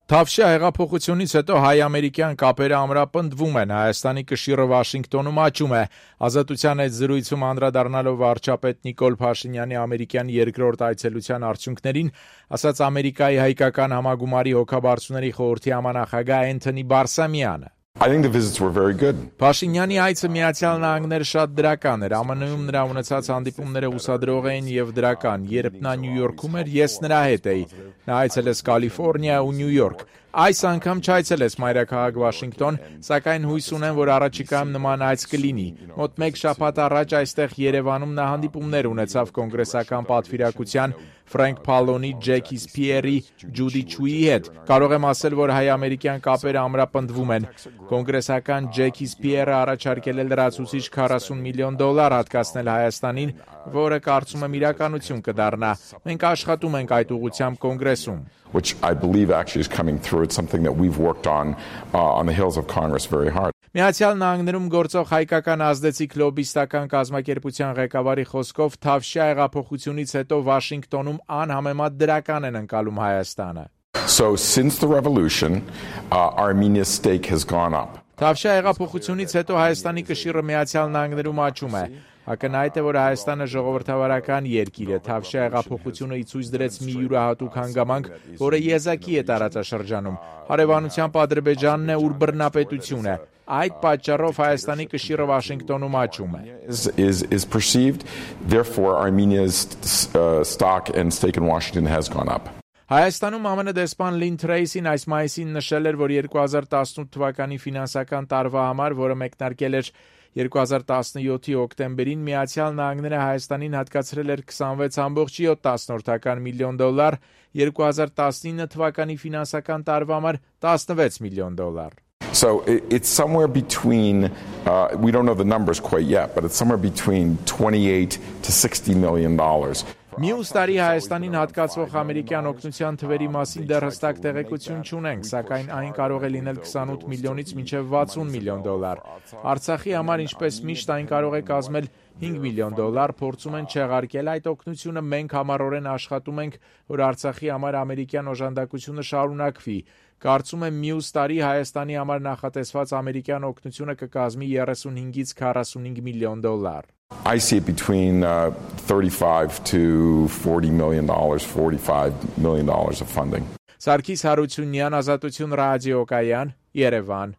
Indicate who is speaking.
Speaker 1: Թավշյա հեղափոխությունից հետո հայ-ամերիկյան կապերը ամրապնդվում են, Հայաստանի կշիռը Վաշինգտոնում աճում է։ Ազատության հետ զրույցում անդրադառնալով վարչապետ Նիկոլ Փաշինյանի ամերիկյան երկրորդ այցելության արդյունքներին, ասաց Ամերիկայի հայկական համագումարի հոգաբարձուների խորհրդի համանախագահ Էնթոնի Բարսամյանը.
Speaker 2: I think the visits were very good.
Speaker 1: Փաշինյանի այցը Միացյալ Նահանգներ շատ դրական էր, ԱՄՆ-ում նրա ունեցած հանդիպումները ուսադրող էին եւ դրական, երբ նա Նյու Յորքում էր, ես նրա հետ էի, նա այցելեց Կալիֆոռնիա ու Նյու Յորք, այս անգամ չայցելեց մայրաքաղաք Վաշինգտոն, սակայն հույս ունեմ, որ առաջիկայում նման այց կլինի, մոտ մեկ շաբաթ առաջ այստեղ Երևանում նա հանդիպումներ ունեցավ կոնգրեսական պատվիրակության Ֆրենկ Փալոնի, Ջեքի Սփիերի, Ջուդի Չուի հետ, կարող եմ ասել, որ հայ-ամերիկյան կապերը ամրապնդվում են, կոնգրեսական Ջեքի Սփիերը առաջարկել է լրացուցիչ $40 միլիոն հատկացնել Հայաստանին, որը կարծում եմ իրականություն կդառնա, մենք աշխատում ենք այդ ուղղությամբ կոնգրեսում.
Speaker 2: Which I believe actually is coming through. It's something that we've worked on the hills of Congress very hard.
Speaker 1: Միացյալ Նահանգներում գործող հայկական ազդեցիկ լոբիստական կազմակերպության ղեկավարի խոսքով Թավշյա հեղափոխությունից հետո Վաշինգտոնում անհամեմատ դրական են ընկալում Հայաստանը.
Speaker 2: So since the revolution, Armenia's stake has gone up.
Speaker 1: Թավշյա հեղափոխությունից հետո Հայաստանի կշիռը Միացյալ Նահանգներում աճում է. Ակնհայտ է, որ Հայաստանը ժողովրդավարական երկիր է, Թավշյա հեղափոխությունը ի ցույց դրեց մի յուրահատուկ հանգամանք, որը եզակի է տարածաշրջանում։ Հարևանությամբ Ադրբեջանն է, ուր բռնապետություն է։ Այդ պատճառով Հայաստանի կշիռը Վաշինգտոնում աճում է.
Speaker 2: Is perceived, therefore Armenia's stock and stake in Washington has gone up.
Speaker 1: Հայաստանում ԱՄՆ դեսպան Լին Թրեյսին այս մայիսին նշել էր, որ 2018 թվականի ֆինանսական տարվա համար, որը մեկնարկել էր 2017-ի հոկտեմբերին, Միացյալ Նահանգները Հայաստանին հատկացրել էր $26.7 միլիոն, 2019 թվականի ֆինանսական տարվա համար $16 միլիոն.
Speaker 2: So it's somewhere between, we don't know the numbers quite yet, but it's somewhere between $28 to $60 million.
Speaker 1: Մյուս տարի Հայաստանին հատկացվող ամերիկյան օգնության թվերի մասին դեռ հստակ տեղեկություն չունենք, սակայն այն կարող է լինել 28 միլիոնից մինչև $60 միլիոն։ Արցախի համար, ինչպես միշտ, այն կարող է կազմել $5 միլիոն, փորձում են չեղարկել այդ օգնությունը, մենք համառորեն աշխատում ենք, որ Արցախի համար ամերիկյան օժանդակությունը շարունակվի։ Կարծում եմ մյուս տարի Հայաստանի համար նախատեսված ամերիկյան օգնությունը կկազմի $35 $45 միլիոն։
Speaker 2: I see it between $35 to $40 million, $45 million of funding.
Speaker 1: Սարգիս Հարությունյան, Ազատություն ռադիոկայան, Երևան։